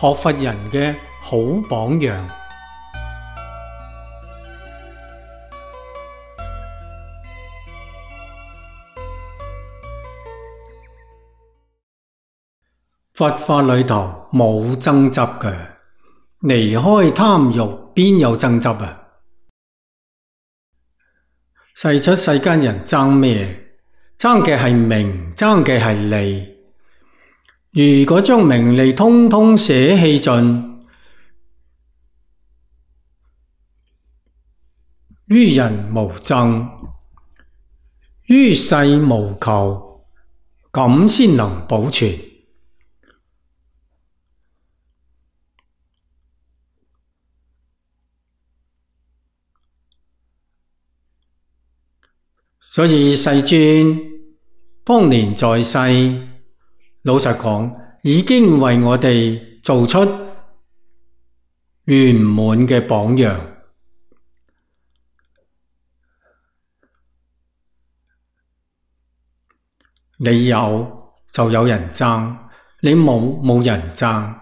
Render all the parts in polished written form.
學佛人嘅好榜樣。佛法裏頭冇爭執嘅，離開貪欲邊有爭執啊？世出世間人爭咩？爭嘅係名，爭嘅係利。如果將名利通通捨棄盡，於人無爭，於世無求，咁先能保存。所以世尊當年在世，老實講，已經為我哋做出圓滿嘅榜樣。你有就有人爭，你冇人爭。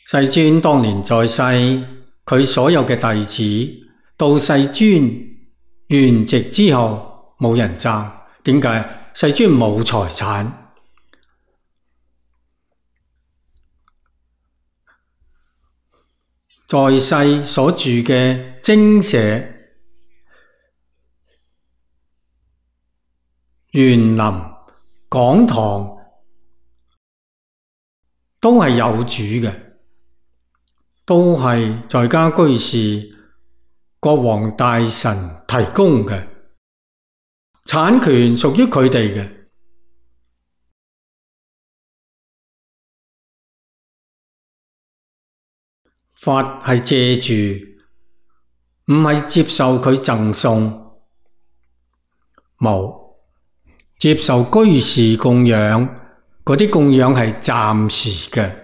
世尊當年在世，佢所有嘅弟子到世尊圓寂之後冇人爭。點解？世尊冇財產。在世所住嘅精舍、園林、講堂都係有主嘅，都係在家居士、國王大臣提供嘅，產權屬於佢哋嘅。法係借住，唔係接受佢贈送。冇接受居士供養，嗰啲供養係暫時嘅，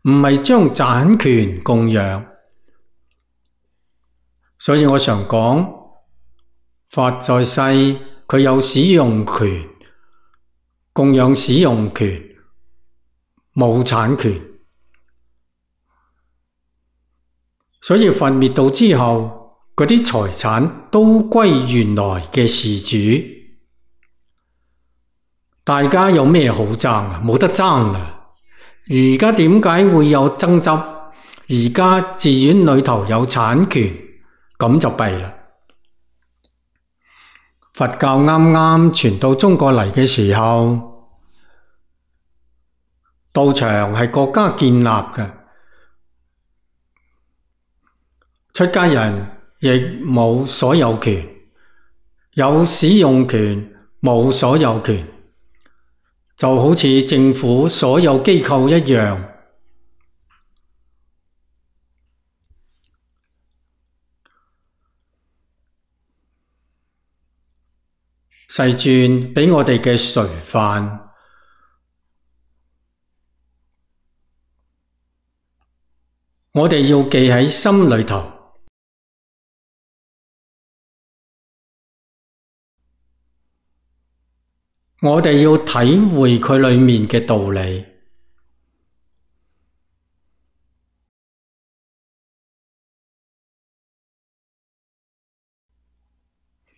唔係將產權供養。所以我常講，法在世，佢有使用權，供養使用權，冇產權。所以佛滅度之後，嗰啲財產都歸原來嘅事主。大家有咩好爭啊？冇得爭啦！而家點解會有爭執？而家寺院裏頭有產權，咁就弊啦。佛教啱啱傳到中國嚟嘅時候，道場係國家建立嘅，出家人亦冇所有權，有使用權，冇所有權，就好似政府所有機構一樣。世尊俾我哋嘅垂範，我哋要記喺心裏頭。我哋要體會佢裏面嘅道理。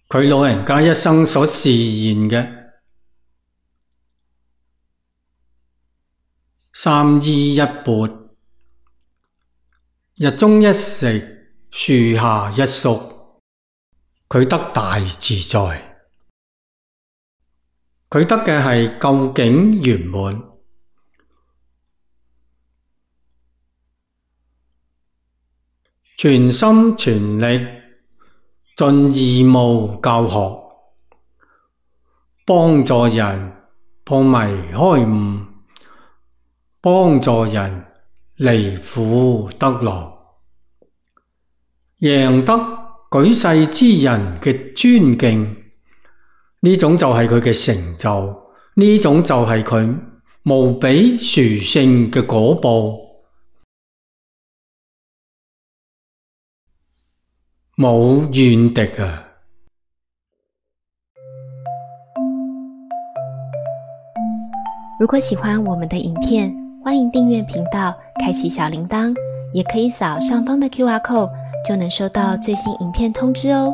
佢老人家一生所示現嘅三衣一缽，日中一食，樹下一宿，佢得大自在。佢得嘅係究竟圓滿，全心全力盡義務教學，幫助人破迷開悟，幫助人離苦得樂，贏得舉世之人嘅尊敬。呢種就係佢嘅成就，呢種就係佢無比殊勝嘅果報。冇怨敵啊！如果喜欢我们的影片，欢迎订阅频道，开启小铃铛，也可以扫上方的 QR code，就能收到最新影片通知哦。